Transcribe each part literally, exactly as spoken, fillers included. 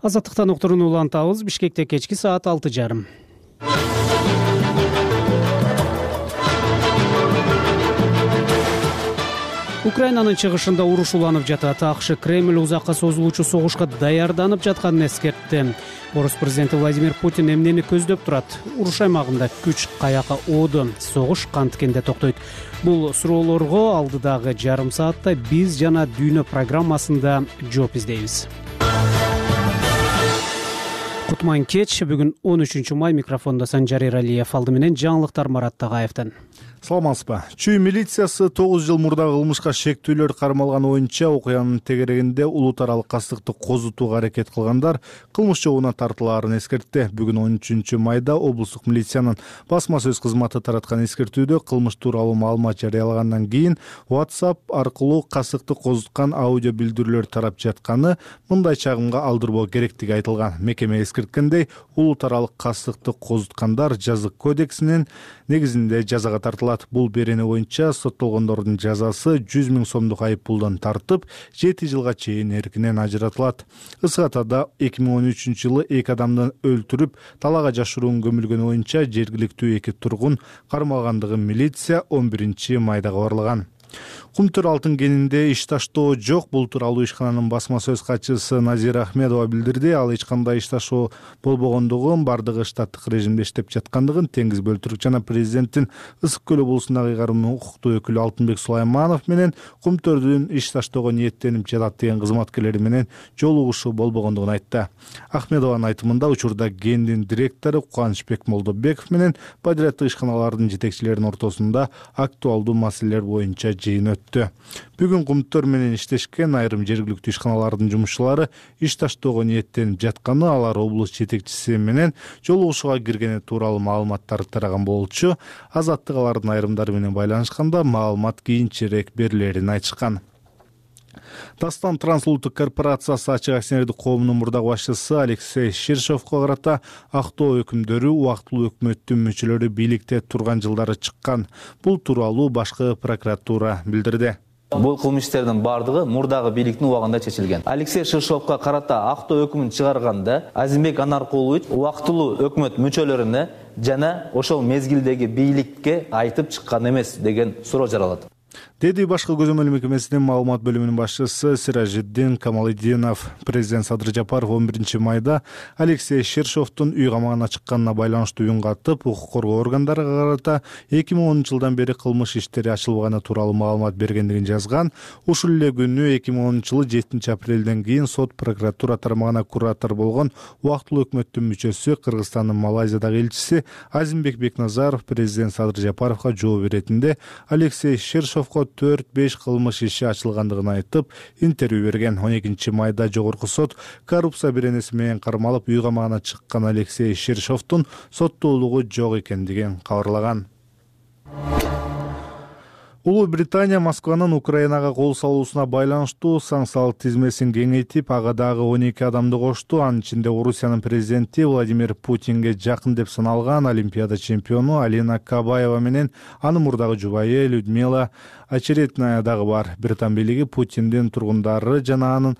Азаттыктан уктурууну улантабыз. Бишкекте кечки саат алты жарым. Украинанын чыгышында уруш уланып жатат. АКШ Кремль узакка созулуучу согушка даярданып жатканын эскертти. Орус президенти Владимир Путин эмнени көздөп турат? Уруш аймагында күч каяка ооду? Согуш канткенде токтойт? Бул суроолорго алдыдагы жарым саатта биз жана Дүйнө программасында жооп издейбиз. Кутман кеч. Бүгүн он үчүнчү май. Микрофондо Санжар Эралиев. Алды менен жаңылыктар Марат Тагаевден. Саламатсызбы. Чүй милициясы тогуз жыл мурда кылмышка шектүүлөр кармалган боюнча окуянын тегерегинде улут аралык кастыкты козутууга аракет кылгандар кылмыш жообуна тартылаарын эскертти. Бүгүн он үчүнчү майда облустук милициянын басма сөз кызматы тараткан эскертүүдө кылмыш тууралуу маалымат жарыялагандан кийин WhatsApp аркылуу кастыкты козуткан аудио билдирүүлөр тарап жатканы мындай чагымга алдырбоо керектиги айтылган. Мекеме эскерткендей, улут аралык кастыкты козуткандар жазык кодексинин негизинде жазага тартылат. Бул берене боюнча соттолгондордун жазасы жүз миң сомдук айып пулдан тартып, жети жылга чейин эркинен ажыратылат. Ысгатада эки миң он үчүнчү жылы эки адамды өлтүрүп, талаага жашыруун көмүлгөнү боюнча жергиликтүү эки тургун кармалгандыгын милиция он биринчи майда кабарлаган. Кумтөр алтын кенинде иш таштоо жок. Бул тууралуу ишкананын басма сөз катчысы Назира Ахмедова билдирди. Ал эч кандай иш таштоо болбогондугун, бардыгы штаттык режимде иштеп жаткандыгын, Теңиз бөлтүрүк жана президенттин Ысык көл облусундагы ыйгарым укуктуу өкүлү Алтынбек Сулайманов менен кумтөрдүн иш таштоого ниеттенип жатат деген кызматкерлери менен жолугушуу болбогондугун айтты. Ахмедованын айтымында учурда кендин директору Кубанычбек Молдобеков менен подряддык ишканалардын жетекчилеринин ортосунда актуалдуу маселелер боюнча жыйын өттү. Бүгүн кумтөр менен иштешкен айрым жергиликтүү ишканалардын жумушчулары иш таштоого ниеттенип жатканы, алар облус жетекчиси менен жолугушууга киргени тууралуу маалыматтарды тараган болчу. Азаттык алардын айрымдары менен байланышканда маалымат кийинчерээк берилерин айтышкан. Дастан Трансулуттук корпорациясы ачык акционердик коомунун мурдагы башчысы Алексей Ширшовго карата актоо өкүмдөрү убактылуу өкмөттүн мүчөлөрү бийликте турган жылдары чыккан. Бул тууралуу башкы прокуратура билдирди. Бул кылмыштардын бардыгы мурдагы бийликтин убагында чечилген. Алексей Ширшовго карата актоо өкүмүн чыгарганда Азимбек Анаркулович убактылуу өкмөт мүчөлөрүнө жана ошол мезгилдеги бийликке айтып чыккан эмес деген суроо жаралат. Деди башкы көзөмөл мекемесинин маалымат бөлүмүнүн башчысы Сиражиддин Камалидинов. Президент Садыр Жапаров он биринчи майда Алексей Ширшовдун үй камагына чыкканына байланыштуу үн катып, укук коргоо органдарына карата эки миң онунчу жылдан бери кылмыш иштери ачылбаганы тууралуу маалымат бергендигин жазган. Ушул эле күнү эки миң онунчу жылы жетинчи апрелден кийин сот прокуратура тармагына куратор болгон убактылуу өкмөттүн мүчөсү, Кыргызстандын Малайзиядагы элчиси Азимбек Бекназаров президент Садыр Жапаровго жооп иретинде Алексей Ширшовго төрт беш кылмыш иши ачылгандыгын айтып, интервью берген. он экинчи майда жогорку сот коррупция беренеси менен кармалып үй камагына чыккан Алексей Ширшовдун соттуулугу жок экендигин кабарлаган. Улуу Британия Москванын Украинага кол салуусуна байланыштуу санкциялык тизмесин кеңейтип, ага дагы он эки адамды кошту. Анын ичинде Орусиянын президенти Владимир Путинге жакын деп саналган Олимпиада чемпиону Алина Кабаева менен анын мурдагы жубайы Людмила Очеретная дагы бар. Британ бийлиги Путиндин тургундары жана анын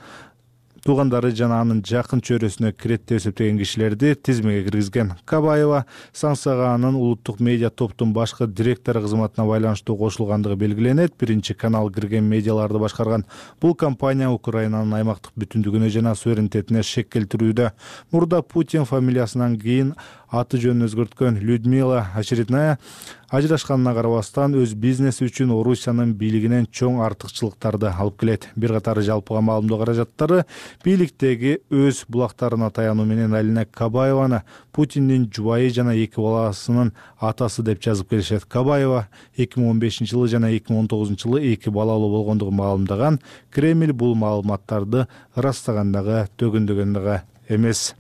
туугандары жана анын жакын чөйрөсүнө кирет деп эсептеген кишилерди тизмеге киргизген. Кабаева санкцияга анын улуттук медиа топтун башкы директору кызматына байланыштуу кошулгандыгы белгиленет. Биринчи канал кирген медиаларды башкарган бул компания Украинанын аймактык бүтүндүгүнө жана суверенитетине шек келтирүүдө. Мурда Путин фамилиясынан кийин аты жөнүн өзгөрткөн. Людмила Очередная ажырашканына карабастан өз бизнеси үчүн Орусиянын бийлигинен чоң артыкчылыктарды алып келет. Бир катары жалпыга маалымдоо каражаттары бийликтеги өз булактарына таянуу менен Алина Кабаеваны Путиндин жубайы жана эки баласынын атасы деп жазып келишет. Кабаева эки миң он бешинчи жылы жана эки миң он тогузунчу жылы эки балалуу болгондугун маалымдаган. Кремль бул маалыматтарды ырастагандагы төгүндөгөндөгө эмес.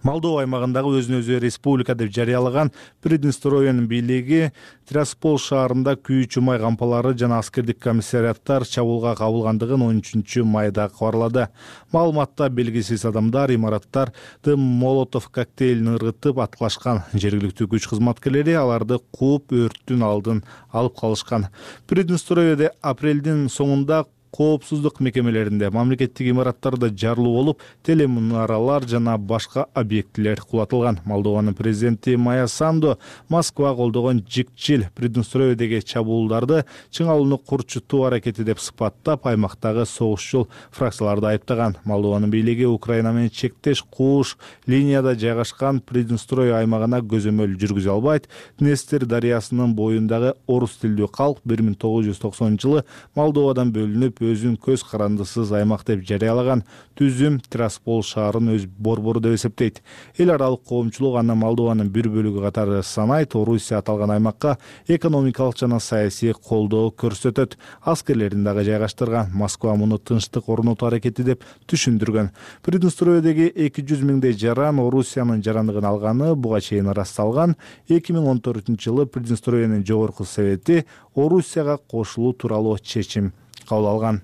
Молдова аймагындагы өзүн өзү республика деп жарыялаган Приднестровьенин бийлиги Тираспол шаарында күйүүчү май кампалары жана аскердик комиссариаттар чабуулга кабылгандыгын он үчүнчү майда кабарлады. Маалыматта белгисиз адамдар имараттарды молотов коктейлин ыргытып аткылашкан. Жергиликтүү күч кызматкерлери аларды кууп өрттүн алдын алып калышкан. Приднестровьеде апрелдин соңунда коопсуздук мекемелеринде, мамлекеттик имараттарда жарылуу болуп, телемунаралар жана башка объектилер кулатылган. Молдованын президенти Майя Санду Москва колдогон жикчил Приднестровьедеги чабуулдарды чыңалууну курчутуу аракети деп сыпаттап, аймактагы согушчул фракцияларды айыптаган. Молдованын бийлиги Украина менен чектеш кууш линияда жайгашкан Приднестровье аймагына көзөмөл жүргүзө албайт. Днестр дарыясынын боюндагы орус тилдүү калк бир миң тогуз жүз токсонунчу жылы Молдовадан бөлүнүп, өзүн көз карандысыз аймак деп жарыялаган. Түзүм Тираспол шаарын өз борбору деп эсептейт. Эл аралык коомчулук аны Молдованын бир бөлүгү катары санайт. Орусия аталган аймакка экономикалык жана саясий колдоо көрсөтөт. Аскерлерин дагы жайгаштырган. Москва муну тынчтык орнотуу аракети деп түшүндүргөн. Приднестровьедеги эки жүз миңдей жаран Орусиянын жарандыгын алганы буга чейин ырасталган. эки миң он төртүнчү жылы Приднестровьенин жогорку совети Орусияга кошулуу тууралуу чечим кабыл алган.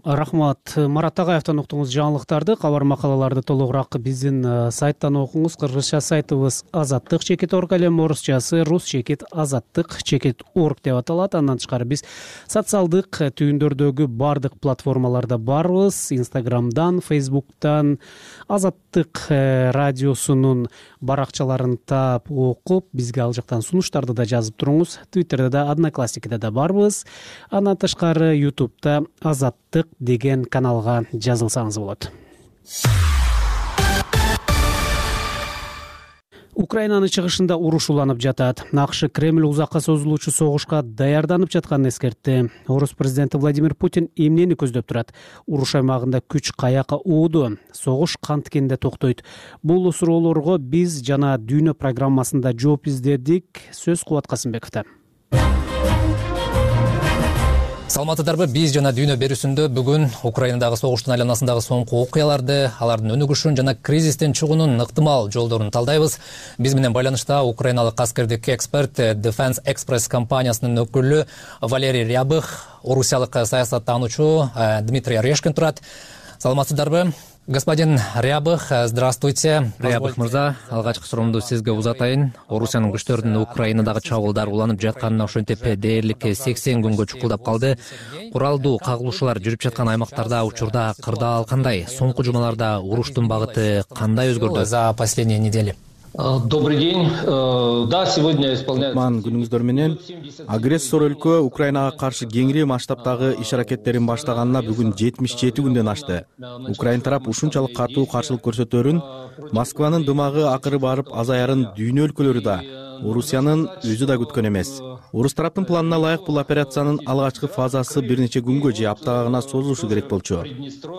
Рахмат. Марат Агаевден уктуңуз жаңылыктарды. Кабар макалаларды толугураак биздин сайттан окуңуз. Кыргызча сайтыбыз азаттык чекит орг элем, орусчасы рус чекит азаттык чекит орг деп аталат. Андан тышкары биз социалдык түйүндөрдөгү бардык платформаларда барбыз. Инстаграмдан, Фейсбуктан, Азаттык радиосунун баракчаларын таап окуп, бизге ал жактан сунуштарды да жазып туруңуз. Твиттерде да, Одноклассникиде да барбыз. Андан тышкары Ютубта Азаттык деген каналга жазылсаңыз болот. Украинанын чыгышында уруш уланып жатат. АКШ Кремль узакка созулуучу согушка даярданып жатканын эскертти. Орус президенти Владимир Путин эмнени көздөп турат? Уруш аймагында күч каяка ууду? Согуш канткенде токтойт? Бул суроолорго биз жана Дүйнө программасында жооп издедик. Сөз Кубат Касымбековдо. Саламатсыздарбы, биз жана Дүйнө берүүсүндө бүгүн Украинадагы согуштун айланасындагы соңку окуяларды, алардын өнүгүшүн жана кризистен чыгуунун ыктымал жолдорун талдайбыз. Биз менен байланышта украиналык аскердик эксперт, Defense Express компаниясынын өкүлү Валерий Рябых, орусиялык саясаттануучу Дмитрий Орешкин турат. Саламатсыздарбы? Господин Рябых, здравствуйте. Рябых мырза, алгачкы суроомду сизге узатайын. Орусиянын күчтөрүнүн Украинадагы чабуулдар уланып жатканына ошентип дээрлик сексен күнгө чукулдап калды. Куралдуу кагылышуулар жүрүп жаткан аймактарда учурда кырдаал кандай? Соңку жумаларда уруштун багыты кандай өзгөрдү? За последние недели. Добрый день. Да, сегодня исполняется. Ман күнүңүздөр менен агрессор өлкө Украинага каршы кеңири масштабтагы иш аракеттерин баштаганына бүгүн жетимиш жети күндөн ашты. Украин тарап ушунчалык катуу каршылык көрсөтөрүн, Москванын дымагы акыры барып азаярын дүйнө өлкөлөрү да, Орусиянын өзү да күткөн эмес. Орус тараптын планына ылайык бул операциянын алгачкы фазасы бир нече күнгө же аптага гана созулушу керек болчу.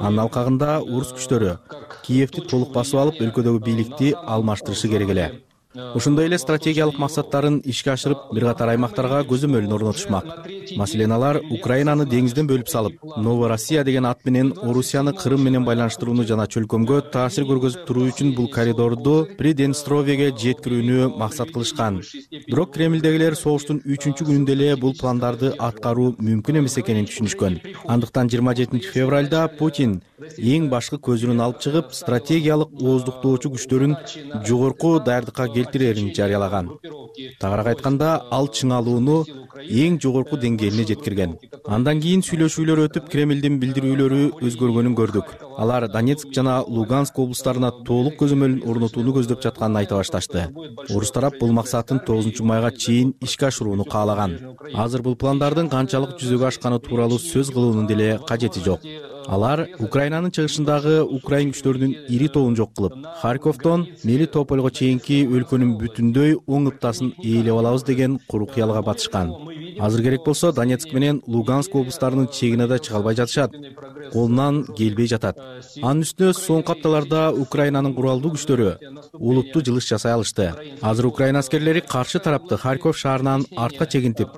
Анын алкагында орус күчтөрү Киевти толук басып алып, өлкөдөгү бийликти алмаштырышы керек эле. Ошондой эле стратегиялык максаттарын ишке ашырып, бир катар аймактарга көзөмөлүн орнотушмак. Маселен, алар Украинаны деңизден бөлүп салып, Новороссия деген ат менен Орусияны Кырым менен байланыштырууну жана чөлкөмгө таасир көргөзүп туруу үчүн бул коридорду Приднестровьеге жеткирүүнү максат кылышкан. Бирок Кремлдегилер согуштун үчүнчү күнүндө эле бул пландарды аткаруу мүмкүн эмес экенин түшүнүшкөн. Андыктан жыйырма жетинчи февралда Путин эң башкы көзүрүн алып чыгып, стратегиялык ооздуктоочу күчтөрүн жогорку даярдыкка келтирерин жарыялаган. Тагыраак айтканда, ал чыңалууну эң жогорку деңгээлине жеткирген. Андан кийин сүйлөшүүлөр өтүп, Кремлдин билдирүүлөрү өзгөргөнүн көрдүк. Алар Донецк жана Луганск облустарына толук көзөмөл орнотууну көздөп жатканын айта башташты. Орус тарап бул максатын тогузунчу майга чейин ишке ашырууну каалаган. Азыр бул пландардын канчалык жүзөгө ашканы тууралуу сөз кылуунун деле кажети жок. Алар Украинанын чыгышындагы украин күчтөрүнүн ири тобун жок кылып, Харьковдон Мелитопольго чейинки өлкөнүн бүтүндөй оң ыптасын ээлеп алабыз деген куру кыялга батышкан. Азыр керек болсо Донецк менен Луганск облустарынын чегине да чыга албай жатышат. Колунан келбей жатат. Анын үстүнө соңку апталарда Украинанын куралдуу күчтөрү улуттуу жылыш жасай алышты. Азыр Украина аскерлери каршы тарапты Харьков шаарынан артка чегинтип,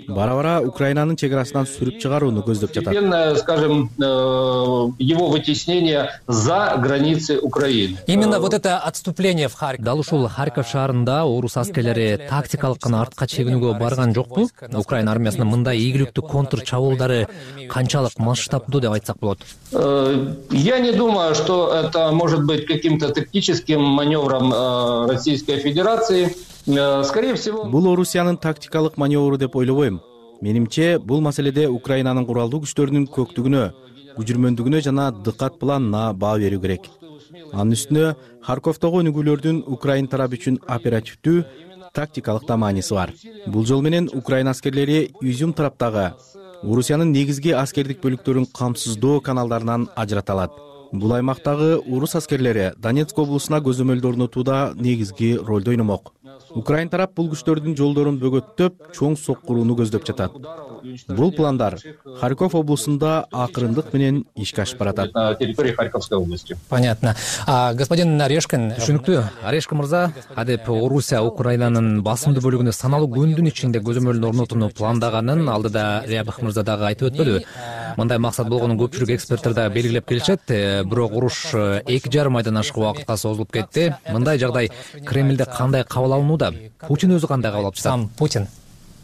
бара-бара Украинанын чек арасынан сүрүп чыгарууну көздөп жатат. Скажем, его вытеснение за границы Украины. Именно вот это отступление в Харьков. Дал ушул Харьков шаарында орус аскерлери тактикалык гана артка чегинүүгө барган жокпу? Украина армиясынын мындай ийгиликтүү контр чабуулдары канчалык масштабдуу деп айтсак болот? Я не думаю, что это может быть каким-то тактическим маневром Российской Федерации. Скорее всего, бул Орусиянын тактикалык маневру деп ойлобойм. Менимче бул маселеде Украинанын куралдуу күчтөрүнүн көктүгүнө, күжүрмөндүгүнө жана дыкат планына баа берүү керек. Анын үстүнө Харьковдогу өнүгүүлөрдүн Украин тарабы үчүн оперативдүү, тактикалык да мааниси бар. Бул жол менен Украин аскерлери Изюм тараптагы Орусиянын негизги аскердик бөлүктөрүн камсыздоо каналдарынан ажырата алат. Бул аймактагы орус аскерлери Донецк облусуна көзөмөлдү орнотууда негизги ролду ойномок. Украин тарап бул күчтөрдүн жолдорун бөгөттөп, чоң соккурууну көздөп жатат. Бул пландар Харьков облусунда акырындык менен ишке ашып баратат. На территории Харьковской области. Понятно. А, господин Орешкин, түшүнүктүү. Орешкин мырза, адеп Орусия Украинанын басымдуу бөлүгүнө саналуу күндүн ичинде көзөмөлдү орнотууну пландаганын алдыда Рябых мырза дагы айтып өтпөдүбү? Мындай максат болгонун көпчүлүк эксперттер да белгилеп келишет. Бирок уруш эки жарым айдан ашык убакытка созулуп кетти. Мындай жагдай Кремлде кандай кабыл алынууда? Путин өзү кандай кабыл алып жатат? Сам Путин.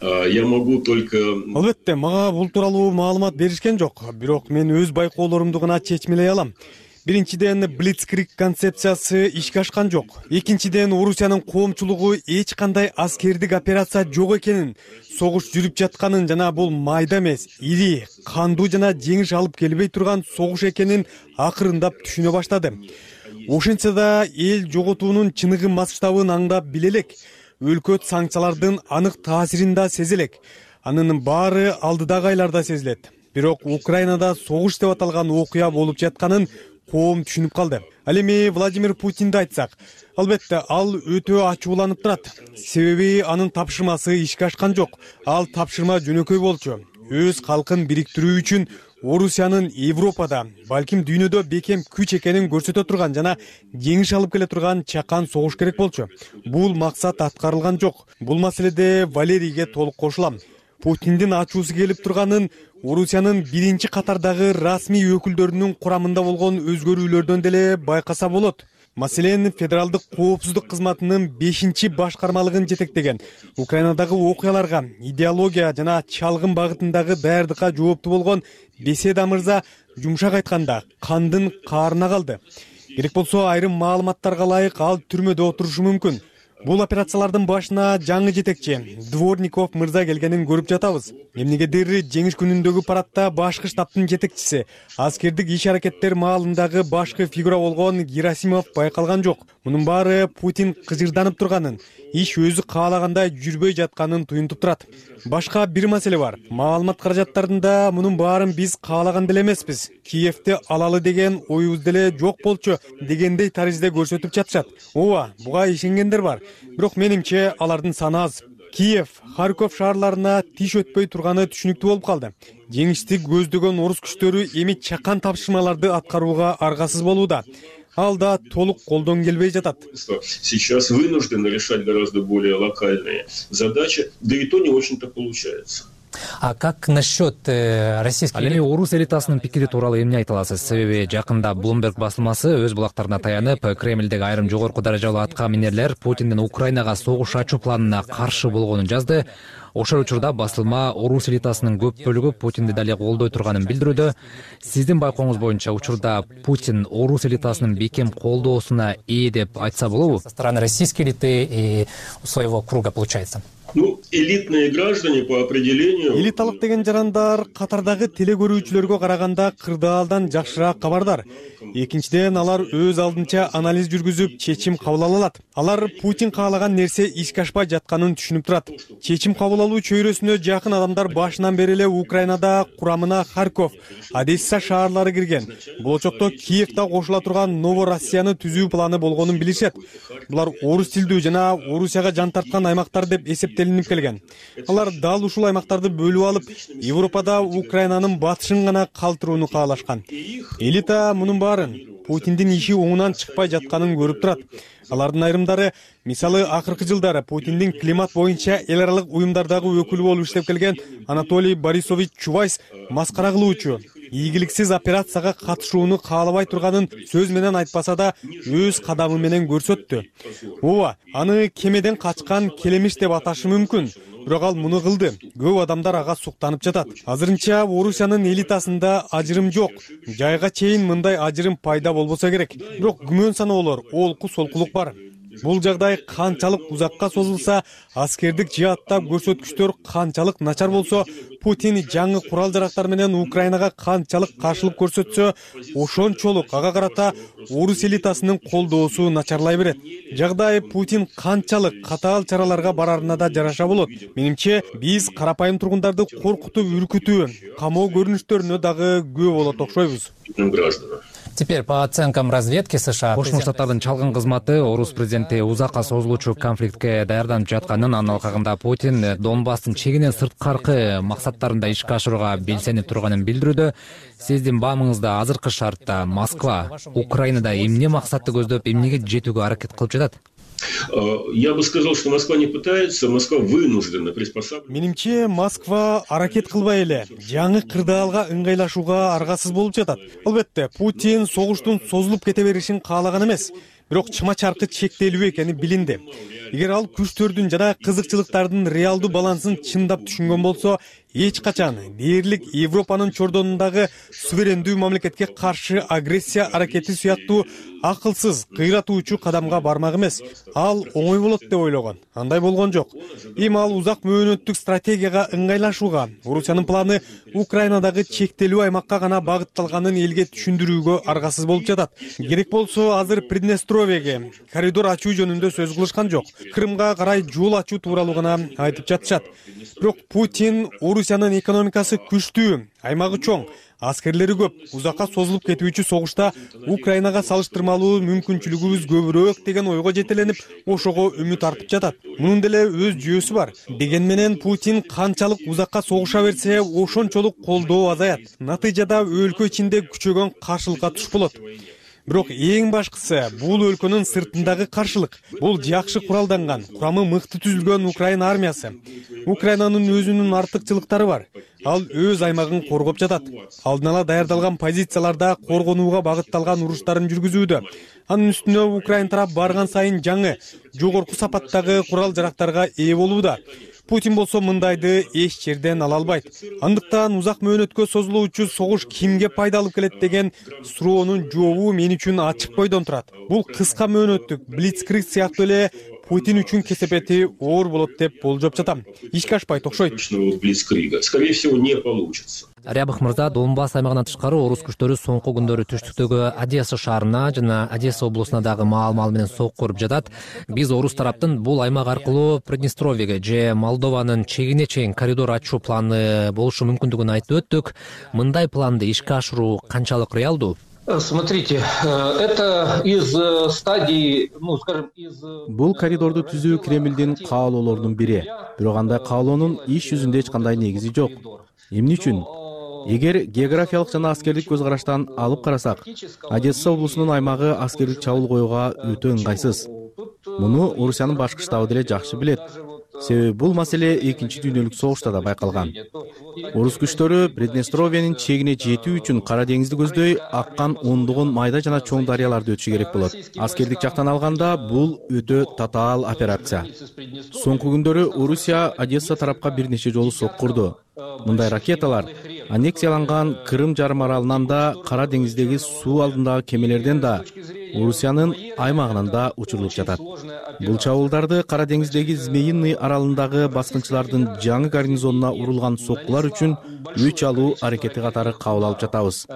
Я могу только... Албетте, мага бул тууралуу маалымат беришкен жок. Бирок мен өз байкоолорумду гана чечмелей алам. Биринчиден, Блицкриг концепциясы ишке ашкан жок. Экинчиден, Орусиянын коомчулугу эч кандай аскердик операция жок экенин, согуш жүрүп жатканын жана бул майда эмес, ири, кандуу жана жеңиш алып келбей турган согуш экенин акырындап түшүнө баштады. Ошентсе да эл жоготуунун чыныгы масштабын аңдап биле элек. Өлкөт санкциялардын анык таасирин да сезе элек. Анын баары алдыдагы айларда сезилет. Бирок Украинада согуш деп аталган окуя болуп жатканын коом түшүнүп калды. Ал эми Владимир Путинди айтсак, албетте ал өтө ачууланып турат. Себеби анын тапшырмасы ишке ашкан жок. Ал тапшырма жөнөкөй болчу. Өз калкын бириктирүү үчүн Орусиянын Европада, балким дүйнөдө бекем күч экенин көрсөтө турган жана жеңиш алып келе турган чакан согуш керек болчу. Бул максат аткарылган жок. Бул маселеде Валерийге толук кошулам. Путиндин ачуусу келип турганын Орусиянын биринчи катардагы расмий өкүлдөрүнүн курамында болгон өзгөрүүлөрдөн деле байкаса болот. Маселен, Федералдык коопсуздук кызматынын бешинчи башкармалыгын жетектеген Украинадагы окуяларга, идеология жана чалгын багытындагы даярдыкка жооптуу болгон Беседа мырза жумшак айтканда кандын каарына калды. Керек болсо айрым маалыматтарга ылайык ал түрмөдө отурушу мүмкүн. Бул операциялардын башына жаңы жетекчи Дворников мырза келгенин көрүп жатабыз. Эмнегедир жеңиш күнүндөгү парадта башкы штабтын жетекчиси, аскердик иш-аракеттер маалындагы башкы фигура болгон Герасимов байкалган жок. Мунун баары Путин кыжырданып турганын, иш өзү каалагандай жүрбөй жатканын туюнтуп турат. Башка бир маселе бар. Маалымат каражаттарында мунун баарын биз каалаган деле эмеспиз. Киевти алалы деген оюбуз деле жок болчу дегендей таризде көрсөтүп жатышат. Ооба, буга ишенгендер бар. Бирок менимче алардын саны аз. Киев, Харьков шаарларына тиш өтпөй турганы түшүнүктүү болуп калды. Жеңишти көздөгөн орус күчтөрү эми чакан тапшырмаларды аткарууга аргасыз болууда. Ал да толук колдон келбей жатат. Сейчас вынуждены решать гораздо более локальные задачи, да и то не очень-то получается. А как насчет российских... Ал эми орус элитасынын пикири тууралуу эмне айта аласыз? Себеби жакында Bloomberg басылмасы өз булактарына таянып, Кремлдеги айрым жогорку даражалуу атка минерлер Путиндин Украинага согуш ачуу планына каршы болгонун жазды. Ошол учурда басылма орус элитасынын көп бөлүгү Путинди дале колдой турганын билдирүүдө. Сиздин байкооңуз боюнча учурда Путин орус элитасынын бекем колдоосуна ээ деп айтса болобу? Со стороны российской элиты и своего круга получается. Ну, элитные граждане по определению... Элиталык деген жарандар катардагы теле көрүүчүлөргө караганда кырдаалдан жакшыраак кабардар. Экинчиден, алар өз алдынча анализ жүргүзүп, чечим кабыл ала алат. Алар Путин каалаган нерсе ишке ашпай жатканын түшүнүп турат. Чечим кабыл алуу чөйрөсүнө жакын адамдар башынан бери эле Украинада курамына Харьков, Одесса шаарлары кирген. Болочокто Киевда кошула турган Новороссияны түзүү планы болгонун билишет. Булар орус тилдүү жана Орусияга жан тарткан аймактар деп эсептелинип келген. Алар дал ушул аймактарды бөлүп алып, Европада Украинанын батышын гана калтырууну каалашкан. Элита мунун баарын Путиндин иши оңунан чыкпай жатканын көрүп турат. Алардын айрымдары, мисалы, акыркы жылдары Путиндин климат боюнча эл аралык уюмдардагы өкүлү болуп иштеп келген Анатолий Борисович Чубайс маскара кылуучу, ийгиликсиз операцияга катышууну каалабай турганын сөз менен айтпаса да өз кадамы менен көрсөттү. Ооба, аны кемеден качкан келемиш деп аташы мүмкүн. Бирок ал муну кылды. Көп адамдар ага суктанып жатат. Азырынча Орусиянын элитасында ажырым жок. Жайга чейин мындай ажырым пайда болбосо керек. Бирок күмөн саноолор, олку солкулук бар. Бул жагдай канчалык узакка созулса, аскердик жааттап көрсөткүчтөр канчалык начар болсо, Путин жаңы курал жарактар менен Украинага канчалык каршылык көрсөтсө, ошончолук ага карата орус элитасынын колдоосу начарлай берет. Жагдай Путин канчалык катаал чараларга барарына да жараша болот. Менимче, биз карапайым тургундарды коркутуп, үркүтүү, камоо көрүнүштөрүнө дагы күбө болот окшойбуз. Теперь по оценкам разведки США, Кошмо Штаттардын чалгын кызматы орус президенти узакка созулуучу конфликтке даярданып жатканын, анын алкагында Путин Донбасстын чегинен сырткаркы максаттарында ишке ашырууга белсенип турганын билдирүүдө. Сиздин баамыңызда азыркы шартта Москва Украинада эмне максатты көздөп, эмнеге жетүүгө аракет кылып жатат? Я бы сказал, что Москва не пытается, Москва вынуждена приспосабливаться. Менимче, Москва аракет кылбай эле жаңы кырдаалга ыңгайлашууга аргасыз болуп жатат. Албетте, Путин согуштун созулуп кете беришин каалаган эмес, бирок чыма-чаркы чектелүү экени билинди. Эгер ал күчтөрдүн жана кызыкчылыктардын реалдуу балансын чындап түшүнгөн болсо, эч качан дээрлик Европанын чордонундагы суверендүү мамлекетке каршы агрессия аракети сыяктуу акылсыз, кыйратуучу кадамга бармак эмес. Ал оңой болот деп ойлогон. Андай болгон жок. Эми ал узак мөөнөттүк стратегияга ыңгайлашууга, Орусиянын планы Украинадагы чектелүү аймакка гана багытталганын элге түшүндүрүүгө аргасыз болуп жатат. Керек болсо, азыр Приднестровьеге коридор ачуу жөнүндө сөз кылышкан жок. Крымга карай жол ачуу тууралуу гана айтып жатышат. Бирок Путин Орусиянын экономикасы күчтүү, аймагы чоң, аскерлери көп, узакка созулуп кетүүчү согушта Украинага салыштырмалуу мүмкүнчүлүгүбүз көбүрөөк деген ойго жетеленип, ошого үмүт артып жатат. Мунун деле өз жүйөсү бар. Деген менен Путин канчалык узакка согуша берсе, ошончолук колдоо азаят. Натыйжада өлкө ичинде күчөгөн каршылыкка туш болот. Бирок эң башкысы бул өлкөнүн сыртындагы каршылык. Бул жакшы куралданган, курамы мыкты түзүлгөн Украина армиясы. Украинанын өзүнүн артыкчылыктары бар. Ал өз аймагын коргоп жатат. Алдын ала даярдалган позицияларда коргонууга багытталган уруштарын жүргүзүүдө. Анын үстүнө Украин тарап барган сайын жаңы, жогорку сапаттагы курал жарактарга ээ болууда. Путин болсо мындайды эч жерден ала албайт. Андыктан узак мөөнөткө созулуучу согуш кимге пайда алып келет деген суроонун жообу мен үчүн ачык бойдон турат. Бул кыска мөөнөттүк блицкриг сыяктуу эле Путин үчүн кесепети оор болот деп болжоп жатам. Ишке ашпайт окшойт. Скорее всего, не получится. Рябых мырза, Донбасс аймагынан тышкары орус күчтөрү соңку күндөрү түштүктөгү Одесса шаарына жана Одесса облусуна дагы маал-маал менен сокку уруп жатат. Биз орус тараптын бул аймак аркылуу Приднестровьеге же Молдованын чегине чейин коридор ачуу планы болушу мүмкүндүгүн айтып өттүк. Мындай планды ишке ашыруу канчалык реалдуу? Смотрите, это из стадии, ну, скажем, из... Бул коридорду түзүү Кремлдин каалоолорунун бири. Бирок андай каалоонун иш жүзүндө эч кандай негизи жок. Эмне үчүн? Эгер географиялык жана аскердик көз караштан алып карасак, Одесса облусунун аймагы аскердик чабуул коюуга өтө ыңгайсыз. Муну Орусиянын башкы штабы деле жакшы билет. Себеби бул маселе экинчи дүйнөлүк согушта да байкалган. Орус күчтөрү Приднестровьенин чегине жетүү үчүн Кара деңизди көздөй аккан ондогон майда жана чоң дарыяларды өтүшү керек болот. Аскердик жактан алганда бул өтө татаал операция. Соңку күндөрү Орусия Одесса тарапка бир нече жолу сокку урду. Мындай ракеталар аннексияланган Крым жарым аралынан да, Кара деңиздеги суу алдындагы кемелерден да, Орусиянын аймагынан да учурулуп жатат. Бул чабуулдарды Кара деңиздеги Змеиный аралындагы баскынчылардын жаңы гарнизонуна урулган соккулар үчүн өч алуу аракети катары кабыл алып жатабыз.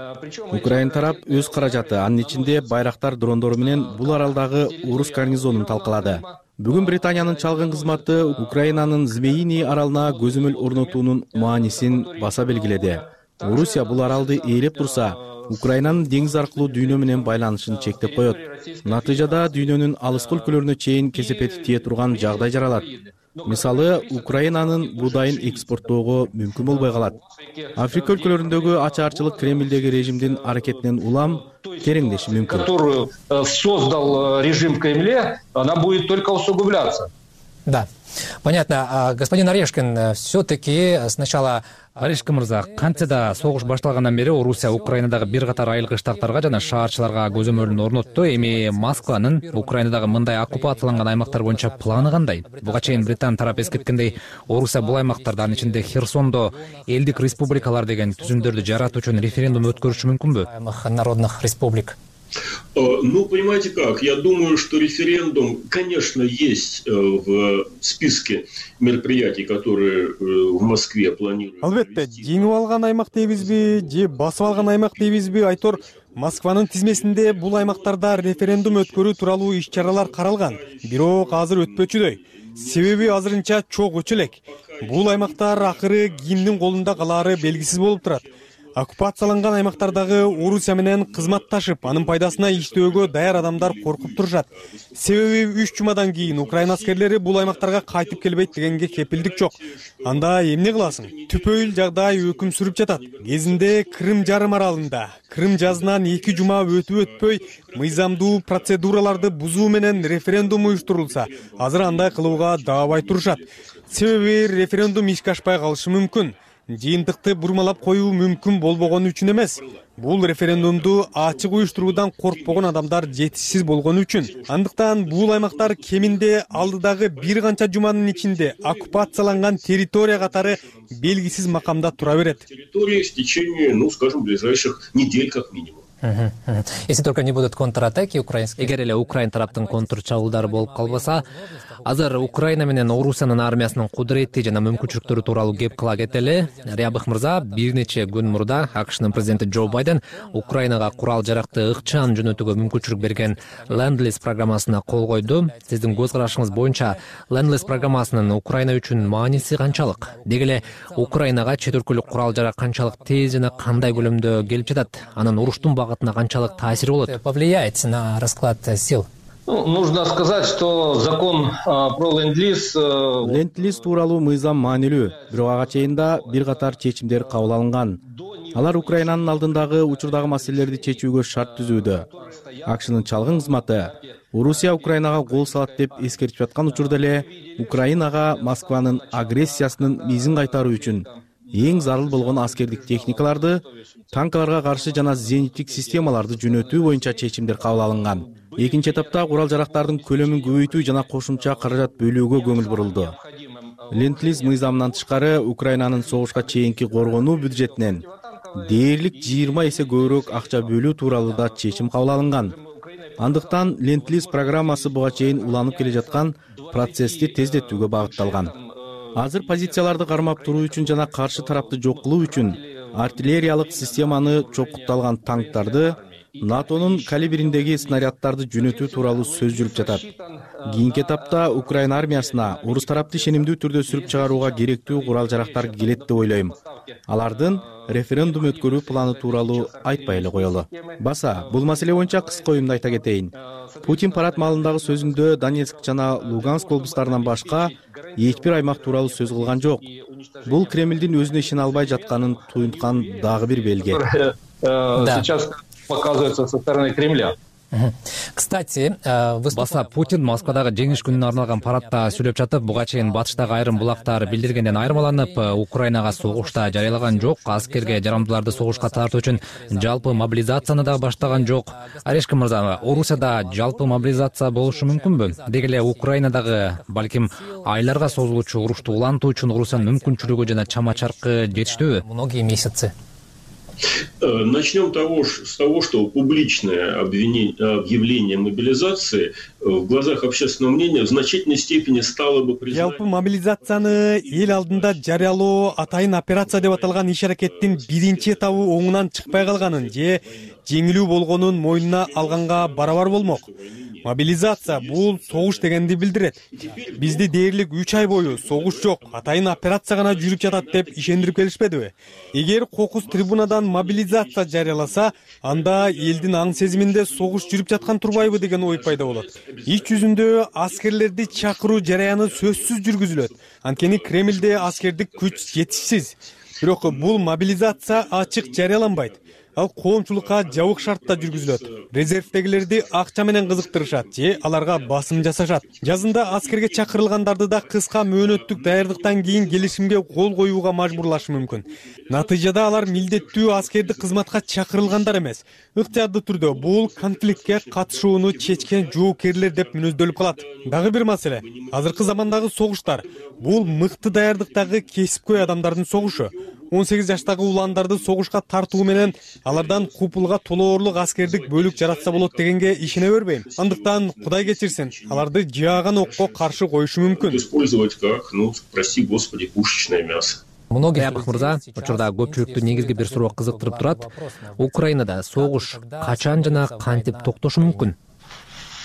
Украин тарап өз каражаты, анын ичинде байрактар дрондору менен бул аралдагы орус гарнизонун талкалады. Бүгүн Британиянын чалгын кызматы Украинанын Змеиный аралына көзөмөл орнотуунун маанисин баса белгиледи. Орусия бул аралды ээлеп турса, Украинанын деңиз аркылуу дүйнө менен байланышын чектеп коет. Натыйжада дүйнөнүн алыскы өлкөлөрүнө чейин кесепети тие турган жагдай жаралат. Мисалы, Украинанын буудайын экспорттоого мүмкүн болбой калат. Африка өлкөлөрүндөгү ачаарчылык Кремлдеги режимдин аракетинен улам тереңдеши мүмкүн. Которую создал режим в Кремле, она будет только усугубляться. Да, понятно. Господин Орешкин, все-таки сначала... Орешкин мырза, кантсе да согуш башталгандан бери Орусия Украинадагы бир катар айылгы штаттарга жана шаарчыларга көзөмөлүн орнотту. Эми Москванын Украинадагы мындай оккупацияланган аймактар боюнча планы кандай? Буга чейин Британ тарап эскерткендей, Орусия бул аймактарда, анын ичинде Херсондо элдик республикалар деген түзүмдөрдү жаратуу үчүн референдум өткөрүшү мүмкүнбү? Народных республик. Ну, понимаете как, я думаю, что референдум, конечно, есть в списке мероприятий, которые в Москве планируют. Албетте, жеңип алган аймак дейбизби, же басып алган аймак дейбизби, айтор Москванын тизмесинде бул аймактарда референдум өткөрүү тууралуу иш-чаралар каралган. Бирок азыр өтпөчүдөй. Себеби азырынча чок өчө элек. Бул аймактар акыры кимдин колунда калаары белгисиз болуп турат. Оккупацияланган аймактардагы Орусия менен кызматташып, анын пайдасына иштөөгө даяр адамдар коркуп турушат. Себеби үч жумадан кийин Украина аскерлери бул аймактарга кайтып келбейт дегенге кепилдик жок. Анда эмне кыласың? Түпөйүл жагдай өкүм сүрүп жатат. Кезинде Крым жарым аралында Крым жазынан эки жума өтүп өтпөй мыйзамдуу процедураларды бузуу менен референдум уюштурулса, азыр андай кылууга даабай турушат. Себеби референдум ишке ашпай калышы мүмкүн. Жыйынтыкты бурмалап коюу мүмкүн болбогону үчүн эмес. Бул референдумду ачык уюштуруудан коркпогон адамдар жетишсиз болгону үчүн. Андыктан бул аймактар кеминде алдыдагы бир канча жуманын ичинде оккупацияланган территория катары белгисиз макамда тура берет. Территория в течение, ну, скажем, ближайших недель как минимум. Если только не будут контратаки украинские. Эгер эле Украин тараптын контр чабуулдары болуп калбаса, азыр Украина менен Орусиянын армиясынын кудурети жана мүмкүнчүлүктөрү тууралуу кеп кыла кетели. Рябых мырза бир нече күн мурда АКШнын президенти Джо Байден Украинага курал жаракты ыкчам жөнөтүүгө мүмкүнчүлүк берген Ленд-лиз программасына кол койду. Сиздин көз карашыңыз боюнча Ленд-лиз программасынын Украина үчүн мааниси канчалык? Деги эле Украинага чет өлкөлүк курал жарак канчалык тез жана кандай көлөмдө келип жатат? Анын уруштун багытына канчалык таасири болот? Повлияет на расклад сил? Ну, нужно сказать, что закон а, про ленд-лиз... А... Ленд-лиз тууралуу мыйзам маанилүү, бирок ага чейин да бир катар чечимдер кабыл алынган. Алар Украинанын алдындагы учурдагы маселелерди чечүүгө шарт түзүүдө. АКШнын чалгын кызматы Орусия Украинага кол салат деп эскертип жаткан учурда эле Украинага Москванын агрессиясынын мизин кайтаруу үчүн эң зарыл болгон аскердик техникаларды, танкаларга каршы жана зениттик системаларды жөнөтүү боюнча чечимдер кабыл алынган. Экинчи этапта курал жарактардын көлөмүн көбөйтүү жана кошумча каражат бөлүүгө көңүл бурулду. Ленд-лиз мыйзамынан тышкары Украинанын согушка чейинки коргонуу бюджетинен дээрлик жыйырма эсе көбүрөөк акча бөлүү тууралуу да чечим кабыл алынган. Андыктан Ленд-лиз программасы буга чейин уланып келе жаткан процессти тездетүүгө багытталган. Азыр позицияларды кармап туруу үчүн жана каршы тарапты жок кылуу үчүн артиллериялык системаны чокутталган танктарды, НАТОнун калибриндеги снаряддарды жөнөтүү тууралуу сөз жүрүп жатат. Кийинки этапта Украина армиясына орус тарапты ишенимдүү түрдө сүрүп чыгарууга керектүү курал жарактар келет деп ойлойм. Алардын референдум өткөрүү планы тууралуу айтпай эле коелу. Баса, бул маселе боюнча кыска оюмду айта кетейин. Путин парад маалындагы сөзүндө Донецк жана Луганск облустарынан башка эч бир аймак тууралуу сөз кылган жок. Бул Кремлдин өзүнө ишене албай жатканын туюнткан дагы бир белги. Сейчас показывается со стороны Кремля. Кстати, баса Путин Москвадагы жеңиш күнүнө арналган парадта сүйлөп жатып, буга чейин батыштагы айрым булактар билдиргенден айырмаланып, Украинага согушта жарыялаган жок, аскерге жарамдууларды согушка тартуу үчүн жалпы мобилизацияны да баштаган жок. Орешкин мырза, Орусияда жалпы мобилизация болушу мүмкүнбү? Деги эле Украинадагы балким айларга созулуучу урушту улантуу үчүн Орусиянын мүмкүнчүлүгү жана чама чаркы жетиштүүбү? Многие месяцы. Начнем того, с того, что публичное объявление мобилизации в глазах общественного мнения в значительной степени стало бы признать... Жалпы мобилизацияны эл алдында жарыялоо атайын операция деп аталган иш-аракеттин биринчи этабы оңунан чыкпай калганын же жеңилүү болгонун мойнуна алганга барабар болмок. Мобилизация бул согуш дегенди билдирет. Бизди дээрлик үч ай бою согуш жок, атайын операция гана жүрүп жатат деп ишендирип келишпедиби? Эгер кокус трибунадан мобилизация жарыяласа, анда элдин аң сезиминде согуш жүрүп жаткан турбайбы деген ой пайда болот. Ич жүзүндө аскерлерди чакыруу жараяны сөзсүз жүргүзүлөт. Анткени Кремлде аскердик күч жетишсиз. Бирок бул мобилизация ачык жарыяланбайт. Ал коомчулукка жабык шартта жүргүзүлөт. Резервдегилерди акча менен кызыктырышат же аларга басым жасашат. Жазында аскерге чакырылгандарды да кыска мөөнөттүк даярдыктан кийин келишимге кол коюуга мажбурлашы мүмкүн. Натыйжада алар милдеттүү аскерди кызматка чакырылгандар эмес, ыктыярдуу түрдө бул конфликтке катышууну чечкен жоокерлер деп мүнөздөлүп калат. Дагы бир маселе, азыркы замандагы согуштар бул мыкты даярдыктагы кесипкөй адамдардын согушу. он сегиз жаштагы уландарды согушка тартуу менен алардан купулга толоорлук аскердик бөлүк жаратса болот дегенге ишене бербейм. Андыктан Кудай кечирсин, аларды жааган окко каршы коюшу мүмкүн. Использовать как, ну, прости господи, пушечное мясо. Аяпов мырза, учурда көпчүлүктү негизги бир суроо кызыктырып турат. Украинада согуш качан жана кантип токтошу мүмкүн?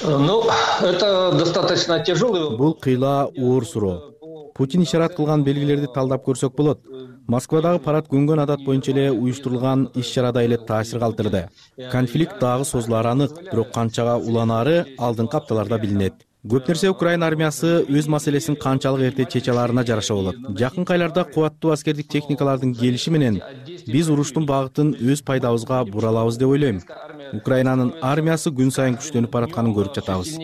Ну, это достаточно тяжелый. Бул кыйла оор суроо. Путин ишарат кылган белгилерди талдап көрсөк болот. Москвадагы парад көнгөн адат боюнча эле уюштурулган иш-чарада эле таасир калтырды. Конфликт дагы созулары анык, бирок канчага уланары алдыңкы апталарда билинет. Көп нерсе Украина армиясы өз маселесин канчалык эрте чече аларына жараша болот. Жакынкы айларда кубаттуу аскердик техникалардын келиши менен биз уруштун багытын өз пайдабызга буралабыз деп ойлойм. Украинанын армиясы күн сайын күчтөнүп баратканын көрүп жатабыз.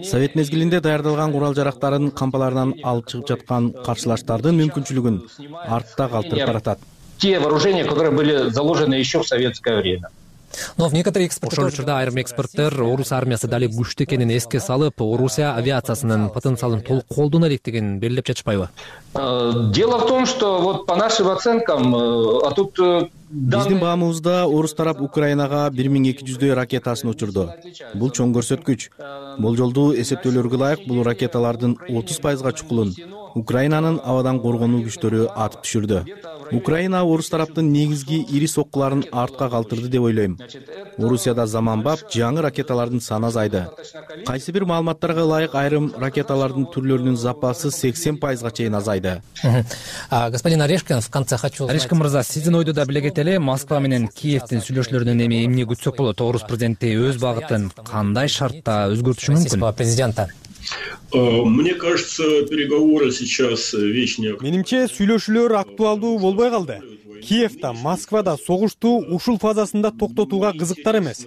Совет мезгилинде даярдалган курал-жарактарын кампаларынан алып чыгып жаткан каршылаштардын мүмкүнчүлүгүн артта калтырып баратат. Те вооружения, которые были заложены еще в советское время. Но в некоторых экспортер... Ошол учурда айрым эксперттер Орус армиясы дали күчтүү экенин эске салып, Орусия авиациясынын потенциалын толук колдоно элек деген белгилеп жатышпайбы? Дело в том, что вот по нашим оценкам, а тут биздин баамыбызда орус тарап Украинага бир миң эки жүздөй ракетасын учурду. Бул чоң көрсөткүч. Болжолдуу эсептөөлөргө ылайык бул ракеталардын отуз пайызга чукулун Украинанын абадан коргонуу күчтөрү атып түшүрдү. Украина орус тараптын негизги ири соккуларын артка калтырды деп ойлойм. Орусияда заманбап жаңы ракеталардын саны азайды. Кайсы бир маалыматтарга ылайык айрым ракеталардын түрлөрүнүн запасы сексен пайызга чейин азайды. Господин Орешкин, в конце хочу узнать... Орешкин мырза, сиздин ойду да билегет эле, Москва менен Киевдин сүйлөшүүлөрүнөн эми эмне күтсөк болот? Орус президенти өз багытын кандай шартта өзгөртүшү мүмкүн? Президента. Мне кажется, переговоры сейчас вещь не... Менимче сүйлөшүүлөр актуалдуу болбой калды. Киевда, Москвада согушту ушул фазасында токтотууга кызыктар эмес.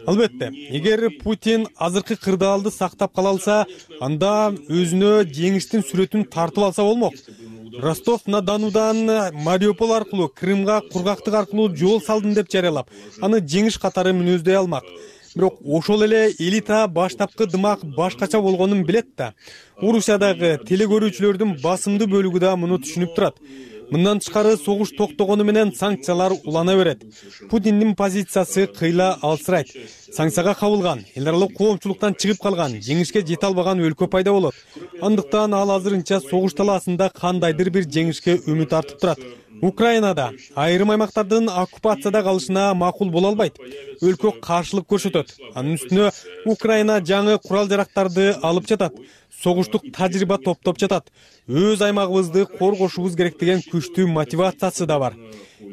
Албетте, эгер Путин азыркы кырдаалды сактап кала алса, анда өзүнө жеңиштин сүрөтүн тартып алса болмок. Ростов-на-Донудан Мариуполь аркылуу Крымга кургактык аркылуу жол салдым деп жарыялап, аны жеңиш катары мүнөздөй алмак. Бирок ошол эле элита баштапкы дымак башкача болгонун билет да. Орусиядагы телекөрүүчүлөрдүн басымдуу бөлүгү да муну түшүнүп турат. Мындан тышкары согуш токтогону менен санкциялар улана берет. Путиндин позициясы кыйла алсырайт. Санкцияга кабылган, эл аралык коомчулуктан чыгып калган, жеңишке жете албаган өлкө пайда болот. Андыктан ал азырынча согуш талаасында кандайдыр бир жеңишке үмүт артып турат. Украинада айрым аймактардын оккупацияда калышына макул боло албайт. Өлкө каршылык көрсөтөт. Анын үстүнө Украина жаңы курал-жарактарды алып жатат. Согуштук тажрыйба топтоп жатат. Өз аймагыбызды коргошубуз керек деген күчтүү мотивациясы да бар.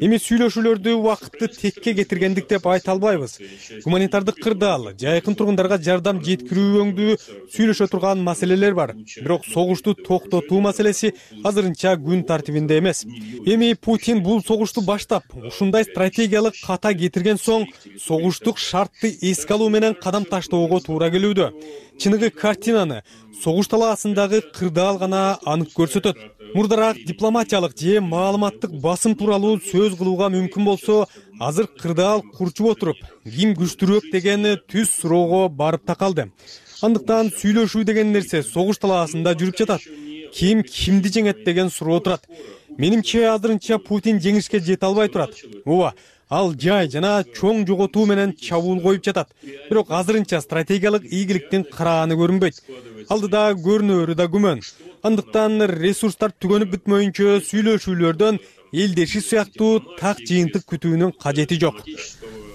Эми сүйлөшүүлөрдү убакытты текке кетиргендик деп айта албайбыз. Гуманитардык кырдаал, жайкын тургундарга жардам жеткирүү өңдүү сүйлөшө турган маселелер бар. Бирок согушту токтотуу маселеси азырынча күн тартибинде эмес. Эми Путин бул согушту баштап, ушундай стратегиялык ката кетирген соң, согуштук шартты эске алуу менен кадам таштоого туура келүүдө. Чыныгы картинаны согуш талаасындагы кырдаал гана анык көрсөтөт. Мурдараак дипломатиялык же маалыматтык басым тууралуу сөз кылууга мүмкүн болсо, азыр кырдаал курчуп отуруп, ким күчтүүрөөк деген түз суроого барып такалды. Андыктан сүйлөшүү деген нерсе согуш талаасында жүрүп жатат. Ким кимди жеңет деген суроо турат. Менимче азырынча Путин жеңишке жете албай турат. Ооба, ал жай жана чоң жоготуу менен чабуул коюп жатат. Бирок азырынча стратегиялык ийгиликтин караганы көрүнбөйт. Алдыда көрүнөрү да күмөн. Андыктан ресурстар түгөнүп бүтмөйүнчө сүйлөшүүлөрдөн элдеши сыяктуу так жыйынтык күтүүнүн кажети жок.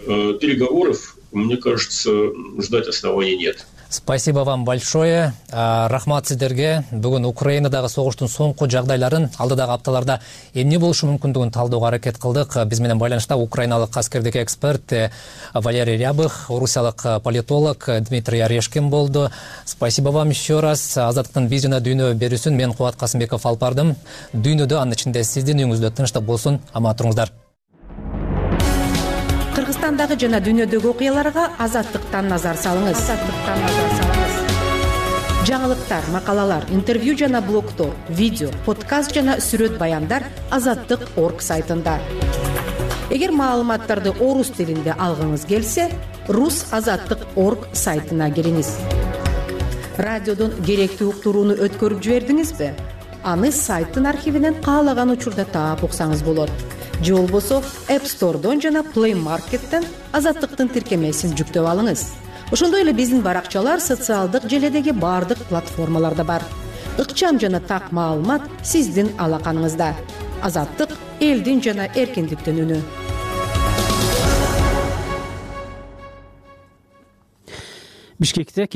Переговоров, мне кажется, ждать оснований нет. Спасибо вам большое. Рахмат сиздерге. Бүгүн Украинадагы согуштун соңку жагдайларын, алдыдагы апталарда эмне болушу мүмкүндүгүн талдоого аракет кылдык. Биз менен байланышта украиналык аскердик эксперт Валерий Рябых, орусиялык политолог Дмитрий Орешкин болду. Спасибо вам еще раз. Азаттыктын биз жана дүйнө берүүсүн мен Кубат Касымбеков алып бардым. Дүйнөдө, анын ичинде сиздин үйүңүздө тынчтык болсун. Аман туруңуздар. Кыргызстандагы жана дүйнөдөгү окуяларга Азаттыктан назар салыңыз. Азаттыктан назар салыңыз. Жаңылыктар, макалалар, интервью жана блогтор, видео, подкаст жана сүрөт баяндар азаттык точка орг сайтында. Эгер маалыматтарды орус тилинде алгыңыз келсе, рус азаттык точка орг сайтына кириңиз. Радиодон керектүү уктурууну өткөрүп жибердиңизби? Аны сайттын архивинен каалаган учурда таап уксаңыз болот. же болбосо App Store'дон жана Play Market'тен Азаттыктын тиркемесин жүктөп алыңыз. Ошондой эле биздин баракчалар социалдык желедеги бардык платформаларда бар. Ыкчам жана так маалымат сиздин алаканыңызда. Азаттык — элдин жана эркиндиктин үнү. Бишкекте